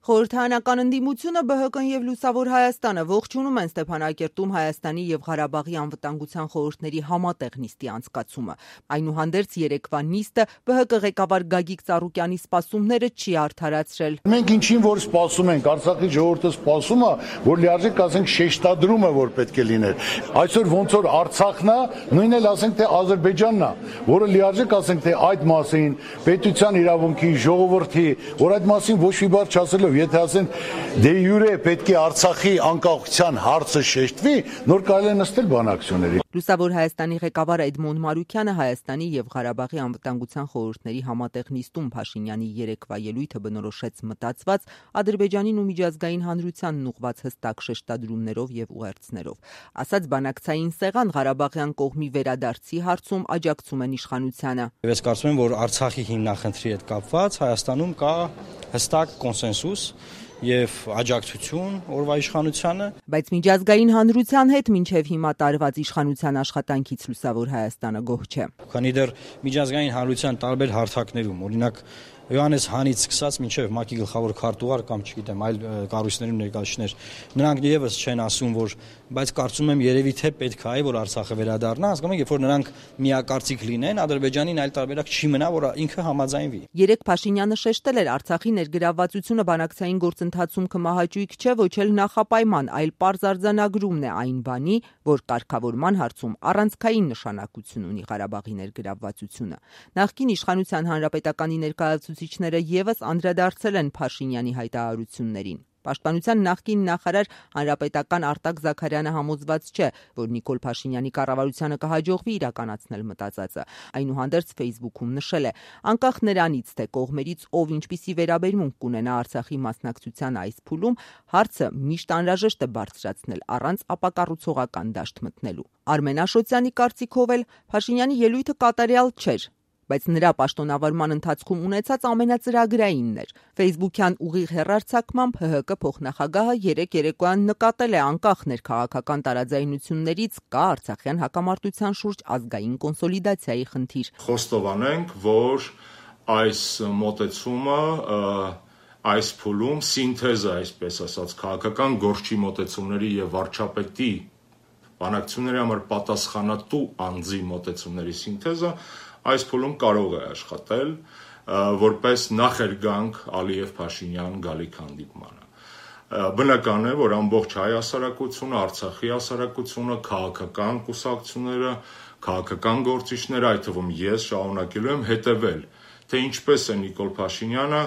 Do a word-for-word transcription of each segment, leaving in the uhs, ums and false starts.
Խորհրդարանական ընդդիմությունը, Բ Հ Կն և Լուսավոր Հայաստանը ողջունում են Ստեփանակերտում Հայաստանի և Ղարաբաղի անվտանգության խորհուրդների համատեղ նիստի անցկացումը։ Այնուհանդերձ երեկվա նիստը Բ Հ Կ ղեկավար Գագիկ Ծառուկյանի սպասումները չի արդարացրել։ Մենք ինչին որ սպասում ենք, Արցախի ժողովուրդը սպասում է, որ լիարժեք ասենք շեշտադրումը որ պետք է լիներ։ Այսօր ոնց որ Արցախն է, նույնն էլ ասենք թե Ադրբեջանն է, որը լիարժեք ասենք թե այդ մասին պետության իրավունքի, ժողովրդի, որ այդ մասին ոչ մի բառ չասելով, եթե ասեն դե յուրե պետք է Արցախի անկախության հարցը շեշտվի, նոր կարելի է նստել բանակցությունների։ Լուսավոր Հայաստանի ղեկավար Էդմոն Մարուքյանը Հայաստանի և Ղարաբաղի անվտանգության խորհուրդների համատեղ նիստում Փաշինյանի երեկվա ելույթը բնորոշեց մտածված Ադրբեջանին ու միջազգային հանրությանն ուղղված հստակ շեշտադրումներով և ուղերձներով։ Ասաց բանակցային սեղան Ղարաբաղյան կողմի վերադարձի հարցում աջակցում են իշխանությանը։ Ես կարծում եմ, որ Արցախի հիմնախնդրի հետ կապված Հայաստանում կա հստակ կոնսենսուս և աջակցություն օրվա իշխանությանը։ Բայց միջազգային հանրության հետ մինչև հիմա տարված իշխանության աշխատանքից Լուսավոր Հայաստանը գոհ չէ։ Քանի դեռ միջազգային հանրության տարբեր հարթակներում, օրինակ Հովհաննես Հանից սկսած մինչև ՄԱԿ-ի գլխավոր քարտուղար կամ չգիտեմ այլ կառույցներում ներկայացուցիչներ, նրանք եւս չեն ասում, որ բայց կարծում եմ երևի թե պետք է որ Արցախը վերադառնա, հասկանում եք, երբ որ նրանք միակարծիք լինեն, Ադրբեջանին այլ տարբերակ չի մնա, որ ինքը համաձայնվի։ Երեք Փաշինյանը շեշտել էր Արցախի ներգրավվածությունը բանակցային գործընթացում կմահաճույք չէ, ոչ էլ նախապայման, այլ պարզ արձանագրումն է այն բանի, որ կարգավորման հարցում առանցքային նշանակություն ունի Ղարաբաղի ներգրավվածությունը։ Նախկին իշխանության հանրապետականի ներկայացուցիչները եւս անդրադարձել են Փաշինյանի հայտարարություններին։ Պաշտպանության նախկին նախարար հանրապետական Արտակ Զաքարյանը համոզված չէ, որ Նիկոլ Փաշինյանի կառավարությանը կհաջողվի իրականացնել մտածածը։ Այնուհանդերձ Facebook-ում նշել է. անկախ նրանից, թե կողմերից ով ինչպիսի վերաբերմունք կունենա Արցախի մասնակցության այս փուլում, հարցը միշտ անհրաժեշտ է բարձրացնել առանց ապակառուցողական դաշտ մտնելու։ Արմեն Աշոտյանի կարծիքով էլ Փաշինյանի ելույթը կատարյալ չէր, բայց նրա պաշտոնավարման ընթացքում ունեցած ամենածրագրայինն էր։ Facebook-յան ուղիղ հեռարձակմամբ Հ Հ Կ փոխնախագահը երեք երեկոյան նկատել է անկախ ներքաղաքական տարաձայնություններից կա արցախյան հակամարտության շուրջ ազգային կոնսոլիդացիայի խնդիր։ Խոստովանենք, որ այս մոտեցումը այս փուլում սինթեզը, այսպես ասած, քաղաքական գործի մոտեցումների եւ վարչապետի բանակցությունների համար պատասխանատու անձի մոտեցումների սինթեզը այս փուլում կարող է աշխատել որպես նախերգանք Ալիև-Փաշինյան գալիք հանդիպմանը։ Բնական է, որ ամբողջ հայ հասարակությունը, Արցախի հասարակությունը, քաղաքական կուսակցությունները, քաղաքական գործիչները, այդ թվում ես շարունակելու եմ հետևել, թե ինչպես է Նիկոլ Փաշինյանը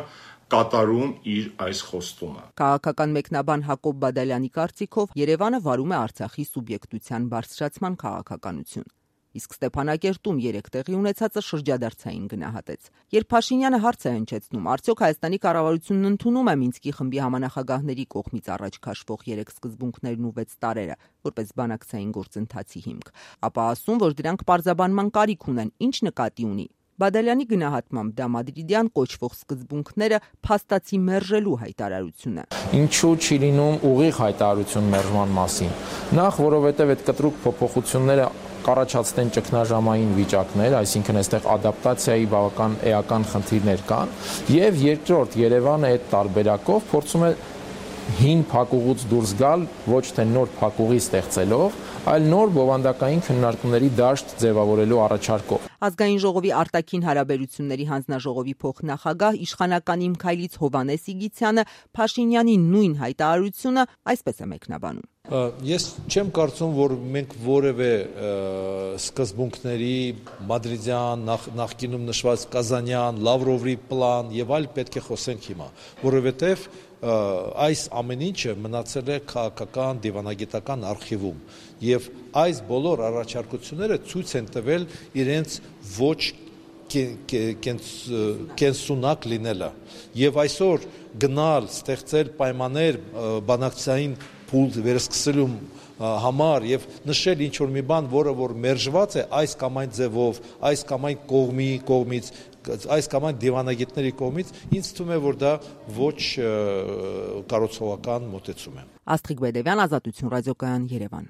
կատարում իր այս խոստումը։ Քաղաքական մեկնաբան Հակոբ Բադալյանի կարծիքով Երևանը վարում է Արցախի սուբյեկտության բարձրացման քաղաքականություն։ Իսկ Ստեփանակերտում երեք տեղի ունեցածը շրջադարձային գնահատեց։ Երբ Փաշինյանը հարց է հնչեցնում, արդյոք Հայաստանի կառավարությունն ընդունում է Մինսկի խմբի համանախագահների կողմից առաջ քաշվող երեք սկզբունքներն ու վեց տարրերը որպես բանակցային գործընթացի հիմք, ապա ասում, որ դրանք պարզաբանման կարիք ունեն, ինչ նկատի ունի։ Բադալյանի գնահատմամբ դա մադրիդյան կոչվող սկզբունքները փաստացի մերժելու հայտարարություն է։ Ինչու չի լինում ուղիղ հայտարարություն մերժման մասին։ Նախ, որովհետև այդ կտրուկ փոփոխությունները կառաջացնեն ճգնաժամային վիճակներ, այսինքն այստեղ ադապտացիայի բավական էական խնդիրներ կան, եւ երկրորդ Երևանը այդ տարբերակով փորձում է հին փակուղուց դուրս գալ ոչ թե նոր փակուղի ստեղծելով, այլ նոր բովանդակային քննարկումների դաշտ ձևավորելու առաջարկով։ Ազգային ժողովի արտաքին հարաբերությունների հանձնաժողովի փոխնախագահ իշխանական Իմ Քայլից Հովհաննես Իգիթյանը Փաշինյանի նույն հայտարարությունը այսպես է մեկնաբանում։ Ես չեմ կարծում, որ մենք որևէ սկզբունքների մադրիդյան, նախկինում նշված Կազանյան, Լավրովի պլան եւ այլ պետք է խոսենք հիմա, որովհետեւ այս ամեն ինչը մնացել է քաղաքական դիվանագիտական արխիվում եւ այս բոլոր առաջարկությունները ցույց են տվել իրենց ոչ կենսունակ լինելը եւ այսօր գնալ ստեղծել պայմաններ բանակցային փուլ վերսկսելու համար եւ նշել ինչ որ մի բան, որը որ մերժված է այս կամ այն ձևով, այս կամ այն կողմի կողմից, այս կամ այն դիվանագետների կողմից, ինձ թվում է, որ դա ոչ կառուցողական մոտեցում է։ Աստղիկ Բեդևյան, Ազատություն ռադիոկայան, Երևան։